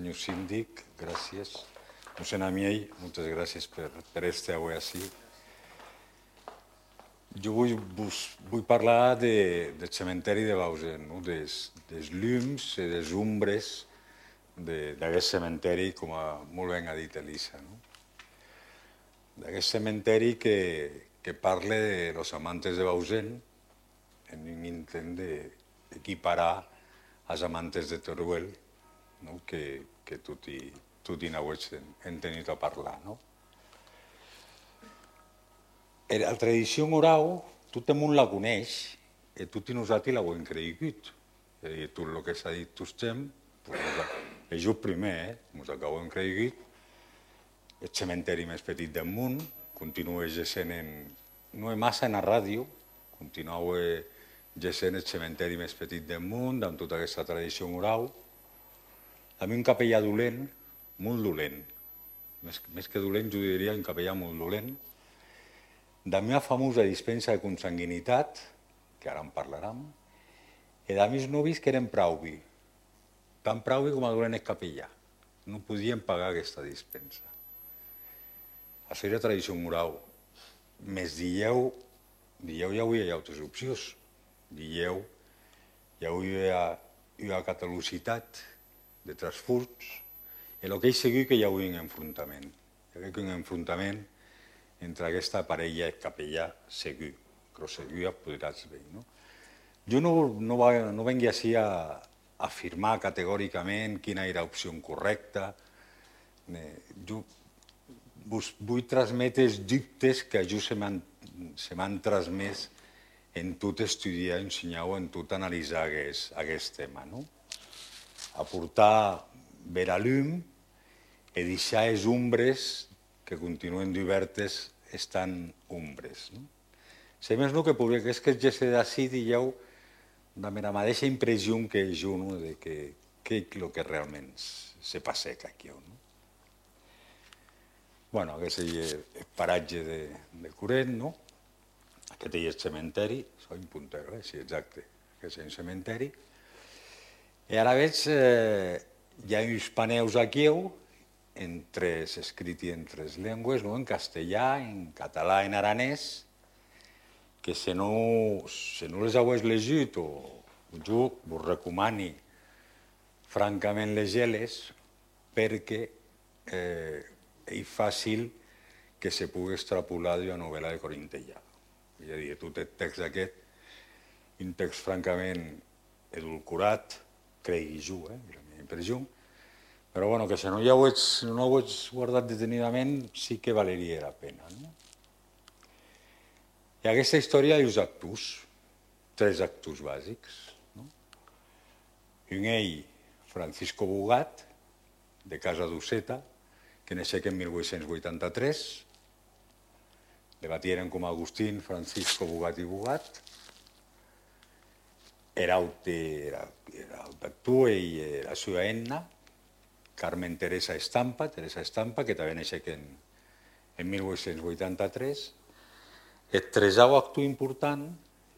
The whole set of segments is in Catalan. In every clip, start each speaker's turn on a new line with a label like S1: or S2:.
S1: senyor síndic, gràcies. Mossèn Amiell, moltes gràcies per estar avui ací. Jo vull parlar del cementeri de Bausen, dels llums i dels ombres d'aquest cementeri, com molt ben ha dit Elisa. D'aquest cementeri que parla de los amantes de Bausen en un intent d'equiparar els amantes de Teruel, que tutti n'auets entenut a parlar. La tradició oral, tot el món la coneix i tutti nosaltres l'hem cregut. Tot el que s'ha dit tot el temps, és jo primer, ens acabem cregut. El cementeri més petit del món, continua sent, no massa en la ràdio, continua sent el cementeri més petit del món, amb tota aquesta tradició oral. A mi un capellà dolent, molt dolent, més que dolent jo diria un capellà molt dolent, de la meva famosa dispensa de consanguinitat, que ara en parlarem, i de meus novis que eren prauvi, tan prauvi com a dolent el capellà. No podien pagar aquesta dispensa. Això era tradició moral. Més dieu ja hi havia altres opcions. Dieu, ja hi havia catalocitat de transfurs, i el que és segur que hi havia un enfrontament. Hi havia un enfrontament entre aquesta parella capellà segur, però segur ja podràs veure. Jo no vengui així a afirmar categòricament quina era l'opció correcta. Jo vull transmetre els dubtes que a jo se m'han transmès en tot estudiar, ensenyar o en tot analitzar aquest tema. Aportar ver a llum i deixar les ombres que continuen obertes estan ombres. Si més no, que és que ja se d'ací dieu la mateixa impressió que jo de què és el que realment se passeca aquí. Aquest és el paratge de Curet, aquest és el cementeri, soy un puntero, sí, exacte, aquest és el cementeri. I ara veig, hi ha uns paneus aquí, escrits en tres llengües, en castellà, en català i en aranès, que si no les heu llegit, jo vos recomano francament llegir-les perquè és fàcil que se pugui extrapolar de la novel·la de Corintellado. És a dir, tot el text aquest, un text francament edulcorat, crec jo, és la meva impressió, però que si no ho heu guardat detenidament sí que valeria la pena. I aquesta història hi ha dos actors, tres actors bàsics. Un ell, Francisco Bugat, de Casa d'Uceta, que naixec en 1883, le batieren com Agustín, Francisco, Bugat i Bugat. Era l'actor i la seva enna, Carmen Teresa Estampa, que també naixec en 1883. El tresau actor important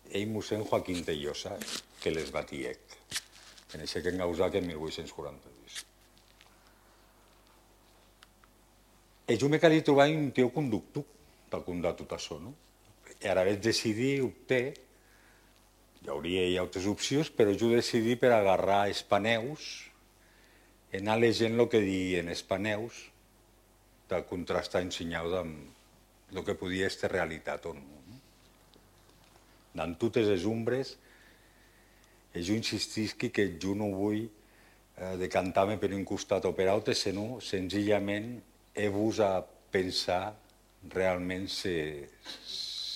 S1: és mossèn Joaquín Tellosa, que les batiec, que naixec en Gausac en 1842. I jo m'he calit trobar un tio conductor per contar tot això. I ara vaig decidir, optar, hi hauria altres opcions, però jo decidí per agarrar els paneus i anar llegint el que diuen els paneus, de contrastar ensenyat amb el que podia ser realitat o no. En totes les ombres, jo insistisc que jo no vull decantar-me per un costat o per altre, sinó senzillament he-vos a pensar realment si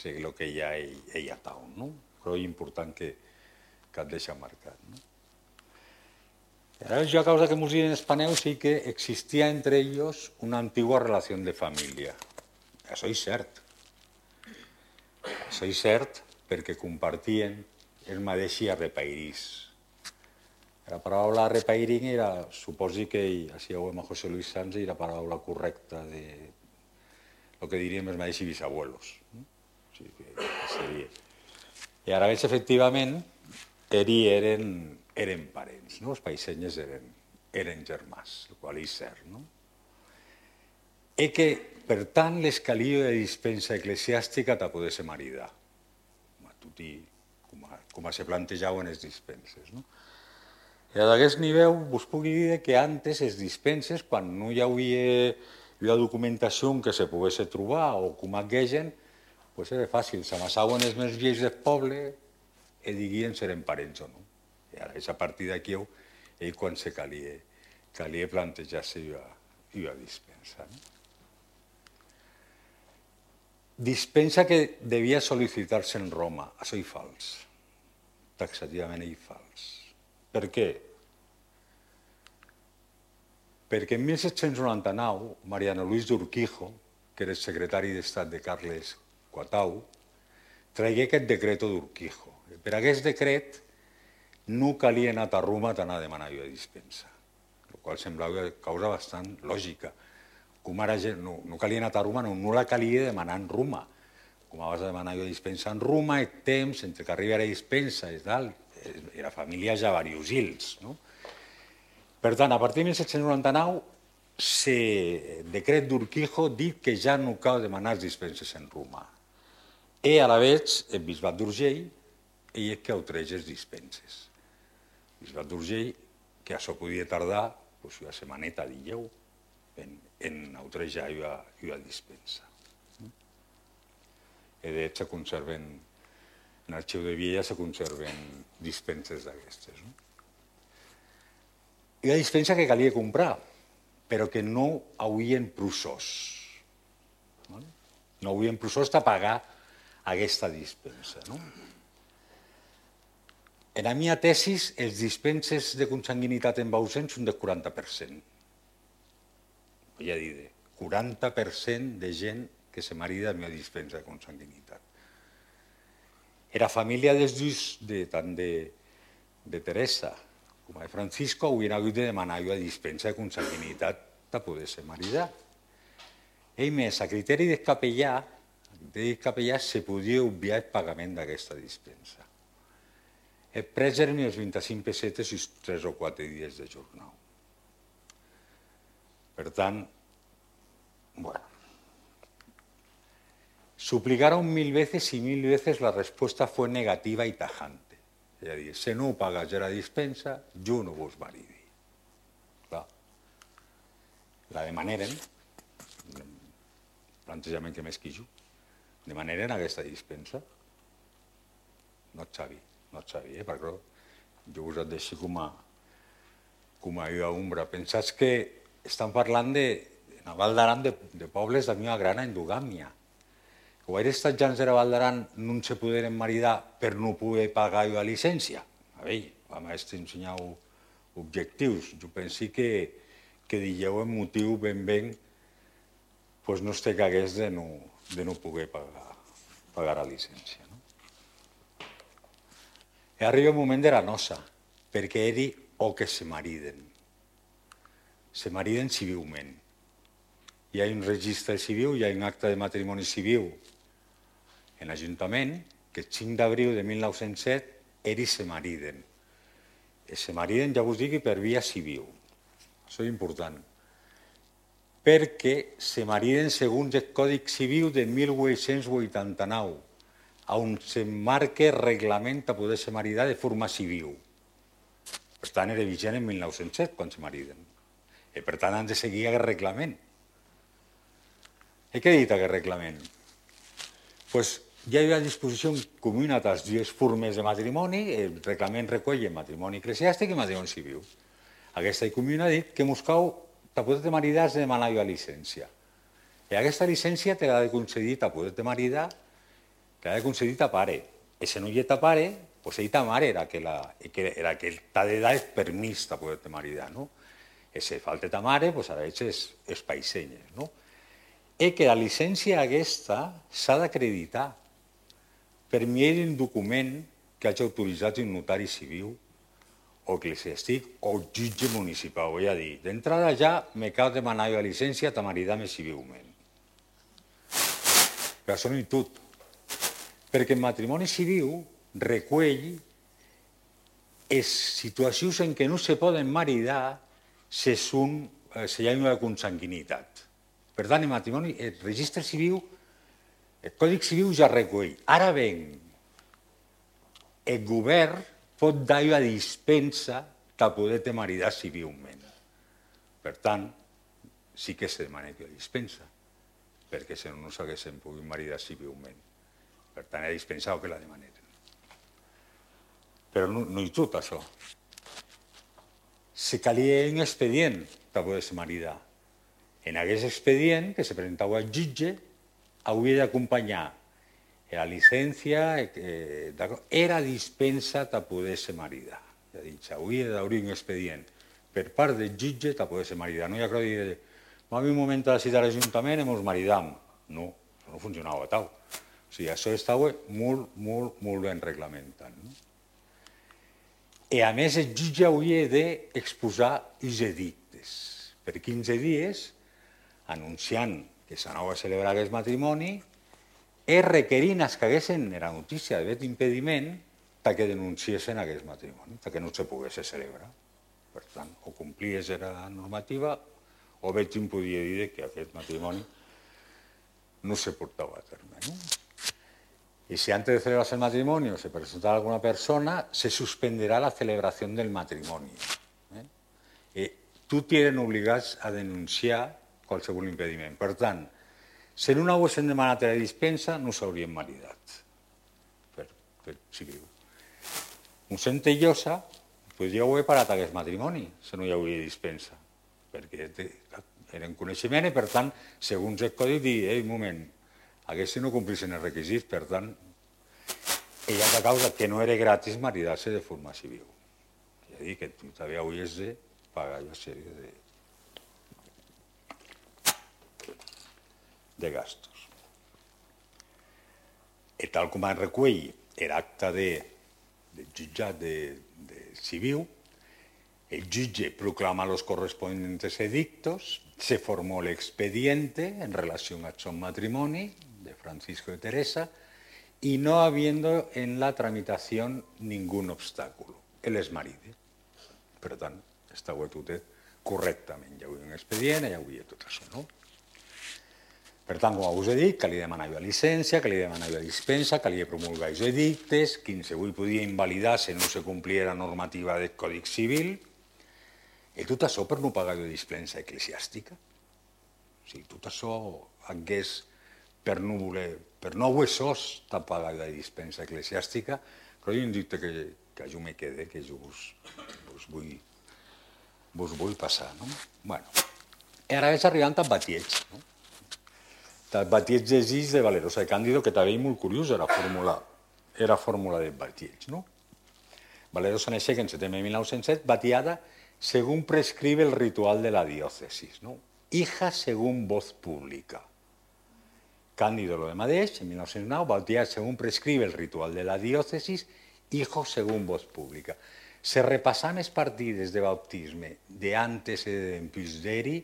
S1: el que hi ha tal. Però és important que et deixa marcat. Jo, a causa que ens diuen els paneus, sí que existia entre ells una antigua relació de família. Això és cert. Això és cert perquè compartien el mateix arrepairís. La paraula arrepairín era, suposi que, així ho veiem a José Luis Sanz, era la paraula correcta de el que diríem els mateixos bisabuelos. I ara veig, efectivament, eren parents, els païsenyes eren eren germans, el qual és cert, no? I que, per tant, l'escalia de dispensa eclesiàstica te poder ser maridar, com se plantejaven les dispenses, no? I a d'aquest nivell vos puc dir que antes les dispenses, quan no hi havia documentació que se pogués trobar o com aquegen, doncs era fàcil, s'amassaven els més vells del poble i diguien si eren parents o no. I ara és a partir d'aquí quan se calia plantejar-se la dispensa. Dispensa que devia sol·licitar-se en Roma, això és fals, taxativament és fals. Per què? Perquè en 1799, Mariano Luis d'Urquijo, que era el secretari d'Estat de Carles IV, tragué aquest decreto d'Urquijo. Per aquest decret no calia anar a Roma d'anar a demanar la dispensa, el qual semblava causa bastant lògica. Com ara no calia anar a Roma, no la calia demanar en Roma. Com vas a demanar la dispensa en Roma, el temps entre que arriba la dispensa i tal, era família ja variosils, no? Per tant, a partir de 1799, el decret d'Urquijo dit que ja no cal demanar dispenses en Roma. I a la vegada, el bisbat d'Urgell, ell és que autoreix les dispenses. El bisbat d'Urgell, que això podia tardar una setmaneta, dieu, en autorejar la dispensa. I de fet, se conserven, en l'arxiu de Viella se conserven dispenses d'aquestes. I la dispensa que calia comprar, però que no havien procés. No havien procés de pagar aquesta dispensa. En la meva tesi, els dispenses de consanguinitat en Bausen són del 40%. Ja diré, 40% de gent que se marida amb la dispensa de consanguinitat. Era família dels dos, tant de Teresa com de Francisco, haurien hagut de demanar la dispensa de consanguinitat per poder ser maridar. I més, a criteri del capellà, se podia obviar el pagament d'aquesta dispensa. El preu eren els 25 pessetes i 3 o 4 dies de jornal. Per tant, bueno, suplicaron 1000 veces y 1000 veces la respuesta fue negativa y tajante. És a dir, si no pagas la dispensa, jo no vos maridi. La demaneren, plantejament que més que jo, demaneren aquesta dispensa. No et sabia, perquè jo us et deixo com a ombra. Pensats que estan parlant a Val d'Aran de pobles de meva gran endogàmia. O aquests estats de la Val d'Aran no se poderen maridar per no poder pagar la llicència. A veure, vam ensenyar objectius. Jo penso que digueu el motiu ben no es te cagués de no poder pagar la llicència. I arriba el moment de la nosa, perquè eri o que se mariden. Se mariden civilment. Hi ha un registre civil, hi ha un acte de matrimoni civil en l'Ajuntament que el 5 d'abril de 1907 eri se mariden. Se mariden, ja vos dic, per via civil. Això és important. Perquè se mariden segons el Còdic Civil de 1889, on s'emmarca el reglament a poder se maridar de forma civil. Per tant, era vigent en 1907 quan se mariden. I per tant, han de seguir aquest reglament. I què ha dit aquest reglament? Doncs hi ha a disposició comuna de les dues formes de matrimoni, el reglament recull el matrimoni eclesiàstic i el matrimoni civil. Aquesta comuna ha dit que mos cau, per poder-te maridar has de demanar la llicència. I aquesta llicència te l'ha de concedir a poder-te maridar, te l'ha de concedir ta pare. I si no hi ha ta pare, doncs ell ta mare era que t'ha de dar el permís de poder-te maridar. I si falta ta mare, doncs ara ets els païsenyes. I que la llicència aquesta s'ha d'acreditar per mi un document que hagi autoritzat un notari civil o eclesiàstic o jutge municipal. Vull dir, d'entrada ja me cal demanar la llicència de maridar-me civilment. Però això no és tot. Perquè el matrimoni civil recull les situacions en què no se poden maridar se hi ha una consanguinitat. Per tant, el matrimoni, el registre civil, el Còdic Civil ja recull. Ara bé, el govern pot dar una dispensa per poder te maridar civilment. Per tant, sí que se demana que dispensa, perquè si no, no s'haguessin pogut maridar civilment. Per tant, he dispensat que la demanen. Però no hi tot, això. Se calia un expedient per poder-se maridar. En aquest expedient, que se presentava al jutge, hauria d'acompanyar la llicència, era dispensa per poder-se maridar. Ja dic, hauria d'obrir un expedient per part del jutge per poder-se maridar. No hi ha que dir, va haver un moment de la cita a l'Ajuntament i ens maridam. No, això no funcionava tal. O sigui, això estava molt ben reglamentat. I a més, el jutge hauria d'exposar els edictes. Per 15 dies, anunciant que s'anava a celebrar aquest matrimoni, i requerint els que haguessin la notícia d'aquest impediment perquè denunciessin aquest matrimoni, perquè no se pogués celebrar. Per tant, o complies la normativa o bé te'n podia dir que aquest matrimoni no se portava a terme. Y si antes de celebrarse el matrimonio se presentara alguna persona, se suspenderá la celebración del matrimonio. Tu t'eren obligats a denunciar qualsevol impediment. Per tant, si no haguessin demanat la dispensa, no s'haurien maridat. Per civil. Mossèn Tellosa podria haver parat aquest matrimoni si no hi hauria dispensa, perquè eren coneixement i, per tant, segons el codi, dir, un moment, aquests no complissin els requisits, per tant, ella a causa que no era gratis maridar-se de forma civil. Ja dic que tu també hauries de pagar una sèrie de gastos. I tal com es recull l'acte del jutjat civil, el jutge proclama los correspondientes edictos, se formó el expediente en relación a su matrimonio de Francisco y Teresa y no habiendo en la tramitación ningún obstáculo. Él es maride. Per tant, estava tot correctament. Hi havia un expedient, hi havia tot això, no? Per tant, com us he dit, calia demanar la llicència, calia demanar la dispensa, calia promulgar els edictes, qualsevol podia invalidar si no se complia la normativa del Còdic Civil, i tot això per no pagar la dispensa eclesiàstica. O sigui, tot això hagués, per no haver sos de pagar la dispensa eclesiàstica, però jo em dic que jo me quede, que jo vos vull passar, no? Bueno, i ara és arribant al batieig, no? El batieig d'Egis de Valerosa de Càndido, que també és molt curiós, era fórmula del batieig, no? Valerosa naixé en setembre de 1907, batiada según prescribe el ritual de la diócesis, ¿no? Hija según voz pública. Cándido lo de Madeix, en 1909, bautiada según prescribe el ritual de la diócesis, hijo según voz pública. Se repassan els partides de bautisme d'antes i d'empisteri,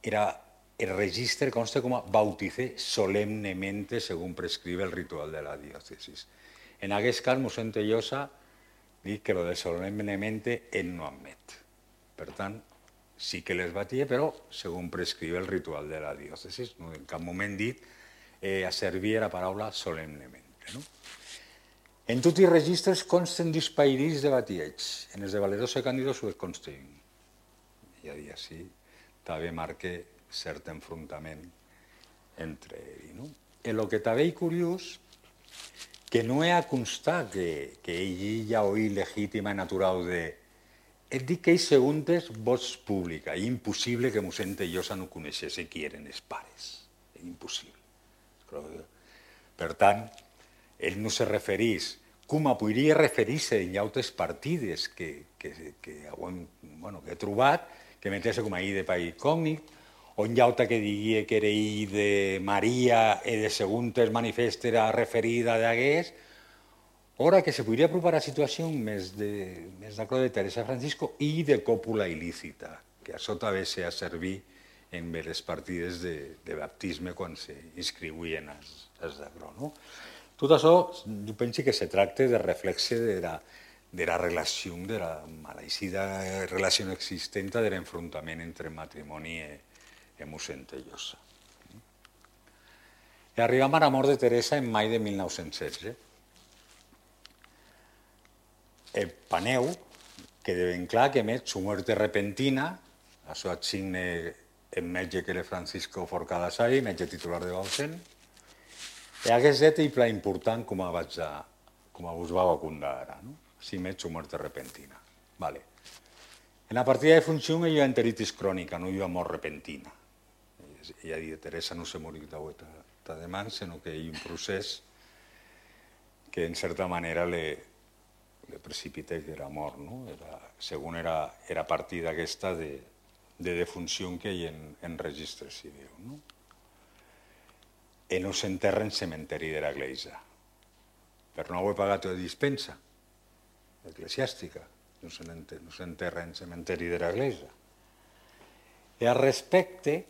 S1: el registre consta com a bauticé solemnemente según prescribe el ritual de la diócesis. En aquest cas, mossèn Tellosa dic que lo de solemnemente ell no admet. Per tant, sí que les batia, però según prescribe el ritual de la diócesis. No, en cap moment dit a servir la paraula solemnemente. No? En tots els registres consten dispairits de batieig. En els de Valerosa i Càndido s'ho consten. I a dir així, també marca cert enfrontament entre ells. No? I el que també és curiós, que no hi ha constat que ell ja oí legítima i natural de... Et dic que ells seguntes vots pública. És impossible que mossèn Tellosa no coneixés qui eren els pares. És impossible. Per tant, ell no se referís, com podria referir-se en altres partides que he trobat, que metesse com a I de país cògnit, o en llauta que digui que era I de Maria i de seguntes manifesta era referida d'hagués, ora que se podria apropar a situació més d'acord de Teresa Francisco i de còpula il·lícita, que això també s'ha servit en les partides de baptisme quan s'inscriuien els d'agrò. Tot això, jo penso que se tracta de reflexe de de la relació, de la malaicida relació existent de l'enfrontament entre matrimoni i Mossèn Tellosa. I arribam a la mort de Teresa en maig de 1916. El paneu queda ben clar que emet su muerte repentina, això assigne el metge que era Francisco Forcada Sari, metge titular de Bausen, i aquest és un pla important com us va vacundar ara, no? Si emet su muerte repentina. Vale. En la partida de funció hi ha enteritis crònica, no hi ha mort repentina. I a dir, Teresa no se morí d'avui de demà, sinó que hi ha un procés que en certa manera le precipita que era mort, no? Según era partida aquesta de defunció que hi ha en registre civil, no? I no s'enterra en cementeri de l'Església. Per no haver pagat la dispensa eclesiàstica, no s'enterra en cementeri de l'Església. I al respecte,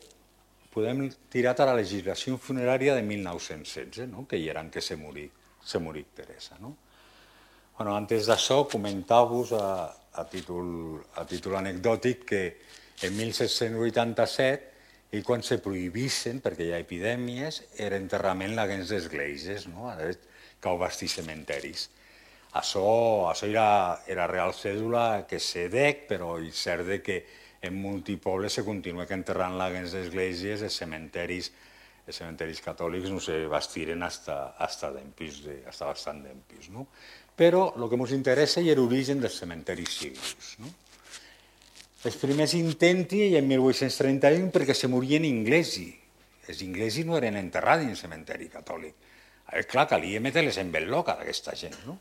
S1: podem tirar a la legislació funerària de 1916, no? Que hi era en què se morí Teresa, no? Bueno, antes d'això, comentar-vos a títol anecdòtic que en 1787, i quan se prohibissen, perquè hi ha epidèmies, era enterrament laguens d'esglésies, no? Cau bastir cementeris. Això era real cèdula que se dec, però és cert que en multipobles se continua enterrant laguens d'esglésies, els cementeris catòlics no se bastiren hasta bastant d'empis, no? Però el que ens interessa és l'origen dels cementeris civils, no? Els primers intenti en 1831 perquè se morien inglesi. Els inglesos no eren enterrats en cementeri catòlic. Clar, calia metre-les en belloca d'aquesta gent, no?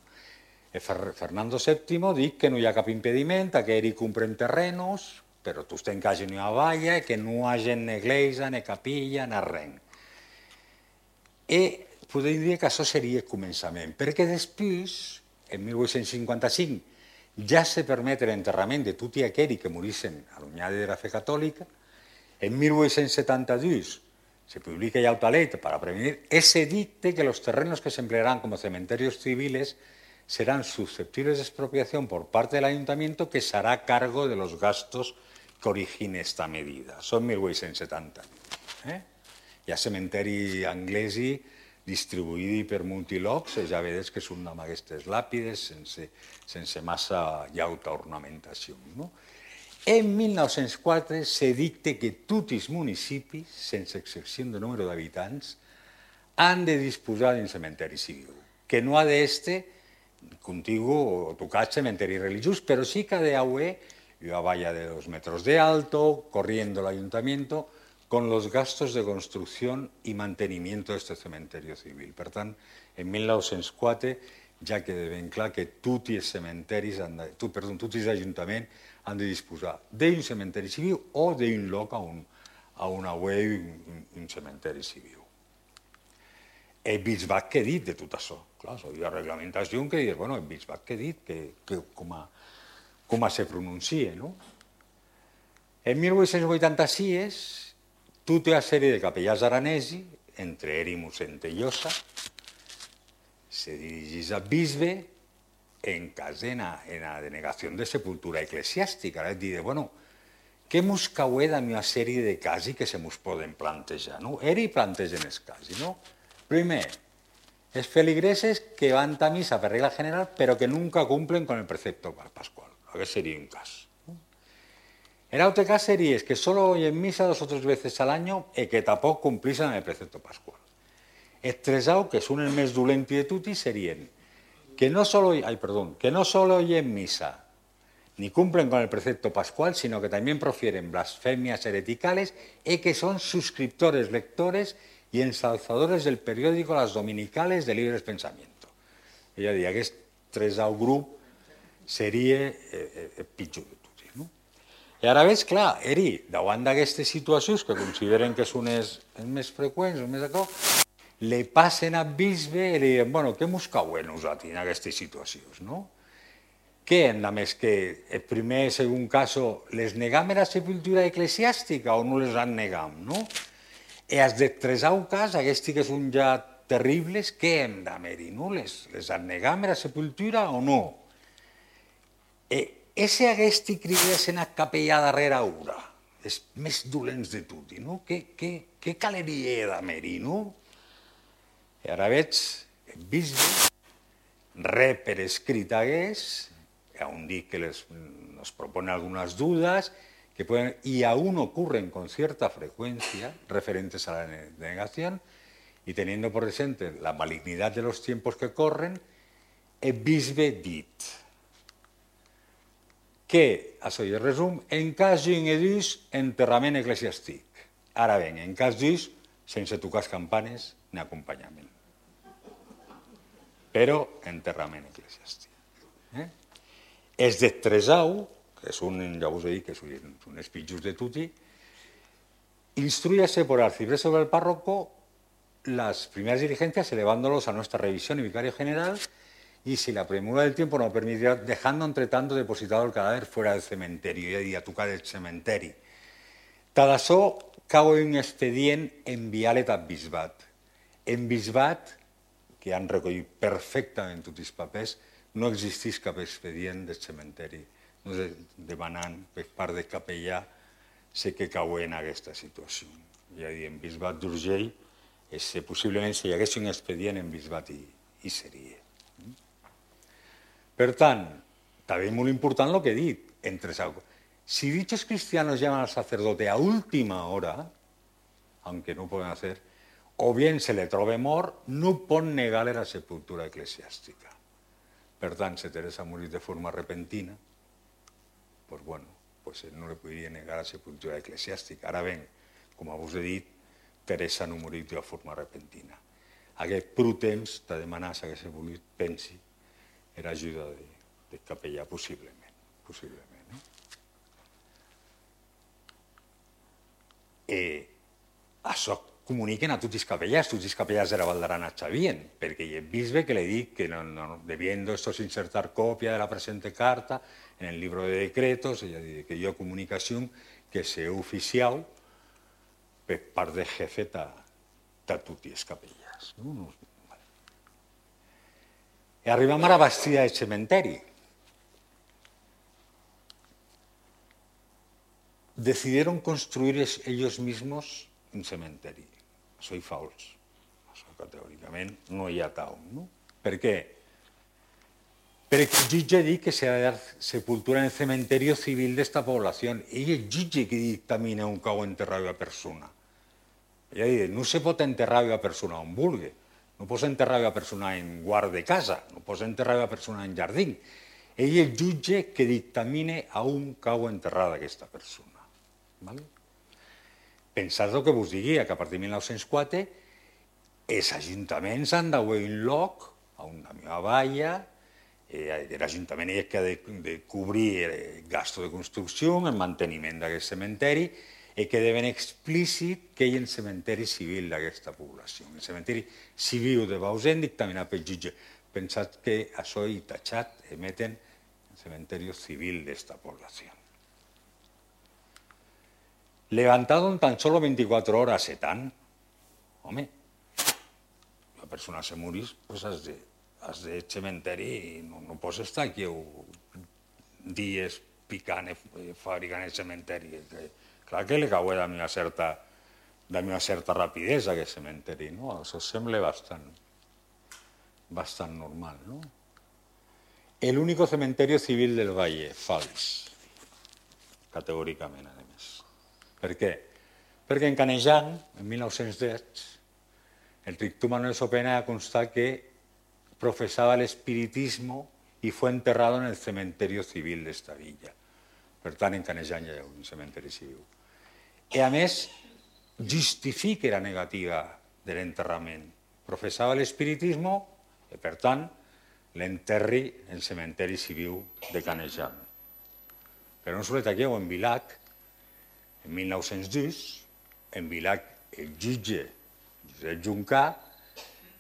S1: Fernando VII dic que no hi ha cap impediment, que ell compren terrenos, però tu en casa no hi ha valla, que no hi hagi ni església, ni capilla, ni res. I podem dir que això seria el començament, perquè després, en 1855, ja se permet l'enterrament de tot i aquells que morissen allunyats de la fe catòlica. En 1872 se publica ya otra ley para prevenir ese dicte que los terrenos que se emplearán como cementerios civiles serán susceptibles de expropiación por parte del ayuntamiento que se hará cargo de los gastos que origine esta medida. Són 1870. Hi ha cementeri anglesi distribuït per multilocs, ja veus que són amb aquestes làpides sense massa llauta ornamentació. En 1904 se dicta que tots els municipis, sense excepció de número d'habitants, han de disposar d'un cementeri civil, que no ha d'estar contigu o tocat cementeri religiós, però sí que ha d'haver una valla de 2 metros de alto, corriendo el ayuntamiento, con los gastos de construcción y mantenimiento de este cementerio civil. Per tant, en 1904 ja queda ben clar que tots els ajuntaments han de disposar d'un cementeri civil o d'un lloc on haver un cementeri civil. El bisbat què ha dit de tot això? Clar, hi ha reglamentació que dius, bueno, el bisbat què ha dit, com se pronuncia, no? En 1886, tota una sèrie de capellans aranesi, entre ells i mossèn Tellosa, se dirigeix al bisbe en cas de la denegació de sepultura eclesiàstica. És dir, bueno, què mos caué d'una sèrie de casos que se mos poden plantejar? Ells plantegen els casos, no? Primer, els feligreses que van a missa per regla general però que nunca cumplen con el precepto pascual. Aquest seria un cas. El otro caso sería que solo oyen misa 2 o 3 veces al año y que tampoco cumplisen el precepto pascual. Estresado, que son el més dolenti de tutti, serien que no solo oyen misa ni cumplen con el precepto pascual, sino que también profieren blasfemias hereticales y que son suscriptores, lectores y ensalzadores del periódico Las Dominicales de Libres Pensamiento. Ella diria que aquest tresau grup seria el pitjor de tots. I ara veig, clar, davant d'aquestes situacions que consideren que són els més freqüents, els més d'acord, li passen al bisbe i li diuen, bueno, què mos cauen nosaltres en aquestes situacions, no? Què, a més que el primer, segon cas, les negam la sepultura eclesiàstica o no les han negam, no? I els de tresau cas, aquests que són ja terribles, què hem d'amer-hi, no? Les han negam la sepultura o no? Ese haguesti cridessin a capellà darrere ura, els més dolents de tutti, no? Què caleria d'haver-hi, no? I ara veig el bisbe, re per escrit hagués, aún dic que nos propone algunas dudas, que pueden, y aún ocurren con cierta frecuencia, referentes a la denegación, y teniendo por presente la malignidad de los tiempos que corren, el bisbe dit que, això és resum, en cas d'un edús, enterrament eclesiàstic. Ara bé, en cas d'ús, sense tocar les campanes ni acompanyament. Però enterrament eclesiàstic. Els de Tresau, que són, ja us he dit que són els pitjors de tutti, instruyase por arcipreste del párroco las primeras diligencias elevándolos a nuestra revisión y vicario general, y si la premura del tiempo no permitirá, dejando entre tanto depositado el cadáver fuera del cementerio, y a tocar el cementeri. Tad açò cau un expedient enviat al bisbat. En bisbat, que han recollit perfectament tots els papers, no existeix cap expedient del cementeri. No sé, demanant per part del capellà, sé que cau en aquesta situació. Ja dic, en bisbat d'Urgell, possiblement si hi hagués un expedient en bisbat hi seria. Per tant, també molt important el que he dit. Si dichos cristianos llaman al sacerdote a última hora, aunque no pueden hacer, o bien se le trobe mort, no pot negar la sepultura eclesiàstica. Per tant, si Teresa ha morit de forma repentina, pues bueno, pues no li podria negar la sepultura eclesiàstica. Ara bé, com us he dit, Teresa no ha morit de forma repentina. Aquest prou temps de demanar, si hagués volit, pensi, era ajuda del capellà, possiblement. Això comuniquen a tots els capellars de la Val d'Aran sabien, perquè hi ha el bisbe que li dic que debiendo estos insertar copia de la presente carta en el libro de decretos, que hi ha comunicació que s'ha oficial per part del jefe de tots els capellars. I arribem a la bastida del cementeri. Decidieron construir ellos mismos un cementeri. Això és fals. Això categòricament no hi ha tal. Per què? Perquè el jutge diu que s'ha de dar sepultura en el cementerio civil d'esta població. Ell és el jutge que dictamina un cau enterrar a persona. Ella diu, no se pot enterrar a persona on vulgui. No pots enterrar a persona en guard de casa, no pots enterrar a persona en jardí. Ell és el jutge que dictamina a un cau enterrada aquesta persona. Pensat el que vos digui, que a partir de 1904 els ajuntaments han d'haver un lloc, a una meva valla, l'Ajuntament és que ha de cobrir el gasto de construcció, el manteniment d'aquest cementeri, i que deben explícit que hi ha un cementeri civil d'aquesta població. El cementeri civil de Bausen dictaminat pel jutge. Pensat que això i tachat emeten el cementeri civil d'esta població. Levantado en tan solo 24 horas, tant. Home, la persona se morís, pues has de cementeri i no pots estar aquí dies picant, fabricant el cementeri. Clar que li cau de una certa rapidesa aquest cementeri, no? Això sembla bastant normal, no? El único cementerio civil del Valle, fals, categòricament, a més. Per què? Perquè en Canejan, en 1910, el Trictum Manuel Sopena ha constat que profesaba el espiritismo y fue enterrado en el cementerio civil d'esta villa. Per tant, en Canejan hi ha un cementeri civil. I a més, justifica la negativa de l'enterrament. Professava l'espiritisme i, per tant, l'enterri en el cementeri civil de Canejan. Però no solet aquí, o en Vilac, en 1910, en Vilac, el jutge Josep Juncà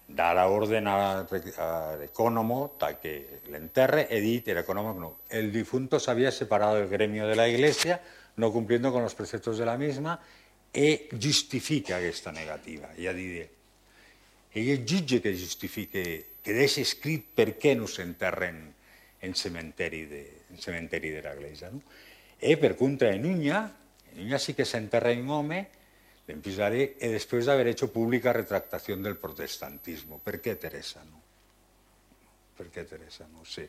S1: da la orden al ecónomo que l'enterre he dit, el ecónomo no. El difunto se había separado del gremio de la Iglesia, no cumpliendo con los preceptos de la misma, e justifica aquesta negativa. Ja diré, ell és jutge que justifica, que deixa escrit per què no s'enterren en cementeri de la Iglesia. E per contra, en Uña sí que s'enterra un home, l'empisaré, e després d'haver hecho pública retractación del protestantismo. Per què, Teresa? No? Per què, Teresa? No sé.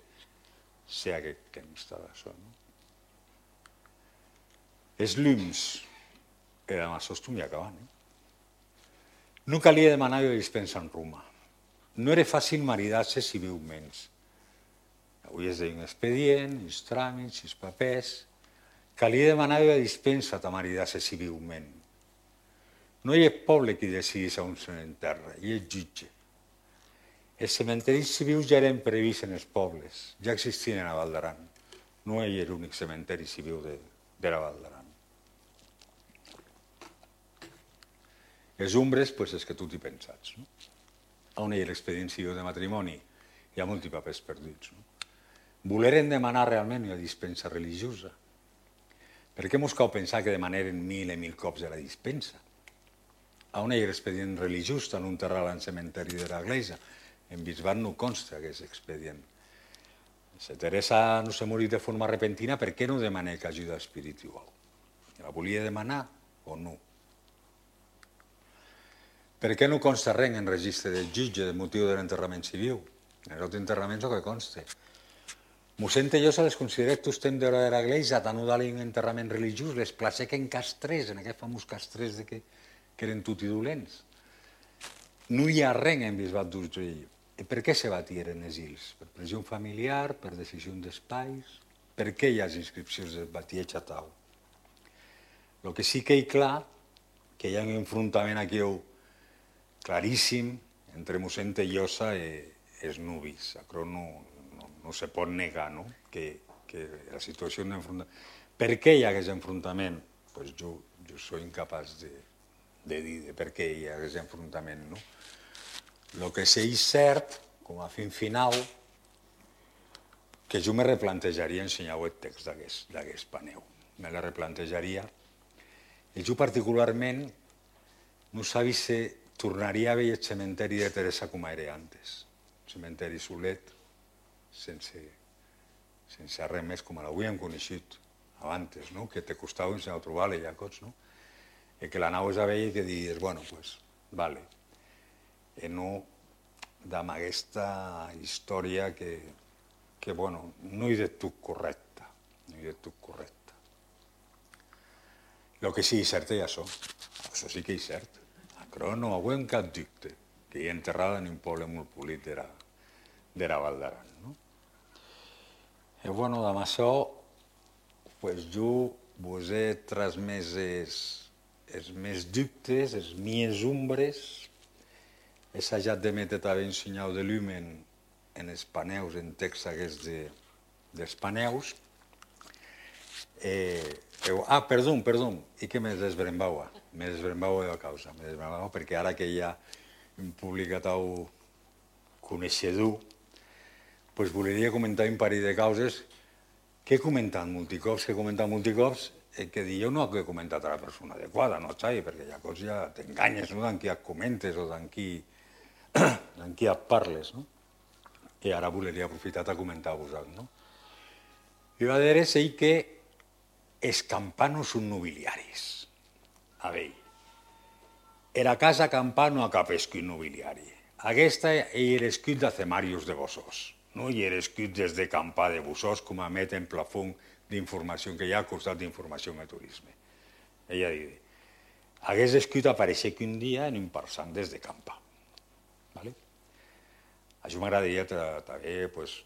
S1: Sé a què consta d'això. Els llums, era amb això estum acabant. No calia demanar la dispensa en Roma. No era fàcil maridar-se civilment. Avui es deia un expedient, uns tràmits, uns papers. Calia demanar la dispensa de maridar-se civilment. No hi ha poble que decidís on s'enterra, hi ha jutge. Els cementeris civils ja eren previstos en els pobles, ja existien a Val d'Aran. No hi era l'únic cementeri civil de la Val d'Aran. Les umbres, doncs, és que tu t'hi pensats. On hi ha l'expedient civil de matrimoni? Hi ha molts papers perduts. Voleren demanar realment una dispensa religiosa. Per què mos cal pensar que demanaren 1000 i 1000 cops de la dispensa? On hi ha l'expedient religiós tan enterrat al cementeri de l'Església? En Bisbat no consta aquest expedient. Si Teresa no s'ha morit de forma repentina, per què no demana ajuda espiritual? La volia demanar o no? Per què no consta res en registre del jutge del motiu de l'enterrament civil? En els enterraments el que consta. Mossèn Tellosa les considera que estem de l'Església, tant no un enterrament religiós, les placec en castrers, en aquest famós castrers que eren tutti dolents. No hi ha res en Bisbat d'Urgell. I per què se batieren els ills? Per pressió familiar, per decisió d'espais? Per què hi ha les inscripcions del batieig a tau? El que sí que hi clar, que hi ha un enfrontament aquí claríssim entre mossèn Tellosa i els nubis. Això no se pot negar que la situació d'enfrontament... Per què hi ha aquest enfrontament? Jo soy incapaç de dir per què hi ha aquest enfrontament. El que sí és cert, com a fin final, que jo me replantejaria ensenyar el text d'aquest paneu. Me la replantejaria. I jo particularment no sabia si tornaria a veure el cementeri de Teresa com era antes. El cementeri solet, sense res més, com l'avui hem coneixut abans, que te costava ensenyar a trobar-la ja cots, i que l'anaves a veure i que digues, bueno, doncs, vale. I no amb aquesta història que bueno, no hi de tot correcte, no hi de tot correcte. El que sí és cert és això sí que és cert. Però no ho hem cap dubte, que hi ha enterrada en un poble molt polit de la Val d'Aran. I bueno, amb això, jo vos he transmès els meus dubtes, les meves ombres, he assajat de metre també un senyal de llum en els paneus, en text aquests dels paneus. Perdó, i que me desbrembava de la causa, perquè ara que hi ha un públic tau coneixedor, doncs volia comentar un parell de causes que he comentat multicops, que jo no he comentat a la persona adequada, no, Xavi, perquè llavors ja t'enganyes d'en qui et comentes o d'en qui et parles. I ara volia aprofitar a comentar-vos alguna cosa. I va dir que els campanos són nobiliaris. A veure, era casa campano a cap escut nobiliari. Aquesta era l'escut de Cemarius de Bossós. No hi era escut des de campà de Bossós com a met en plafón d'informació que hi ha al costat d'informació i turisme. Ella diu, aquest escut apareixia que un dia en un parsant des de campà. Això m'agradaria també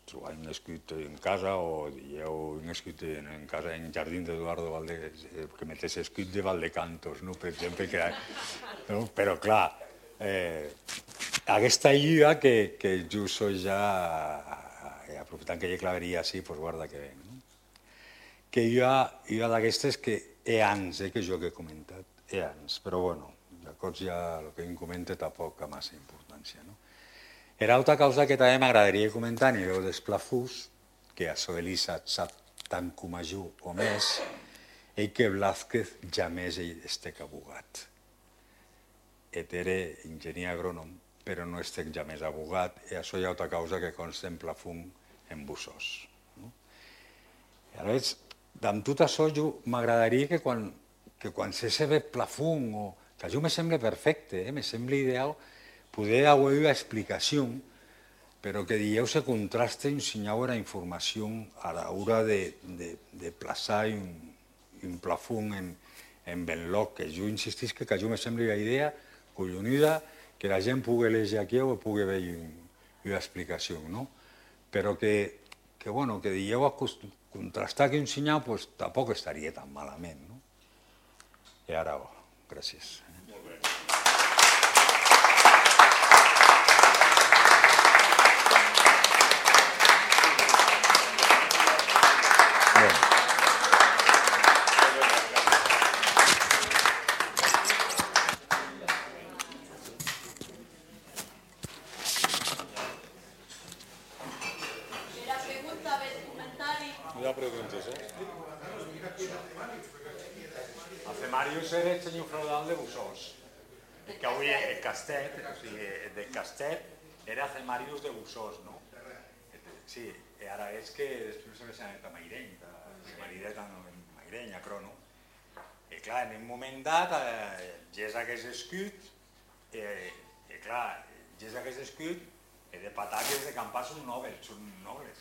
S1: trobar un escut en casa o un escut en casa en jardí d'Eduardo Valdés, que metés escut de Valdecantos, per exemple. Però, clar, aquesta lliga que jo soy ja, aprofitant que hi ha claveria així, doncs guarda que ven. Que hi ha d'aquestes que ans que jo he comentat, ans, però bueno, llavors ja el que em comenta tampoc ha massa importància. Era altra causa que també m'agradaria comentar a nivell dels plafús, que això Elisa sap tant com jo o més, és que Blázquez jamés estec abogat. Era enginyer agrònom, però no estec jamés abogat, i això hi ha altra causa que consta en plafum en Bossós. I ara veig, amb tot això m'agradaria que quan se ve plafón, o que això me sembla perfecte, me sembla ideal, poder haver una explicació, però que dieu se contraste y enseñau la información a la hora de plaçar un plafón en Benlloc, que jo insistís que jo me sembla una idea collonuda, que la gent pugui llegir aquí o pugui veure una explicació, no? Però que dieu contrastar que un senyal, doncs tampoc estaria tan malament, no? I ara, gràcies. Molt bé. Màrius era el senyor feudal de Busós, que avui el Castet, o sigui, del Castet era el Màrius de Busós, no? Sí, i ara és que després se va a Maireny, a Maireny, a Crono. I clar, en un moment dat, ja hagués escut, i clar, ja hagués escut, de pataques de campar són nobles,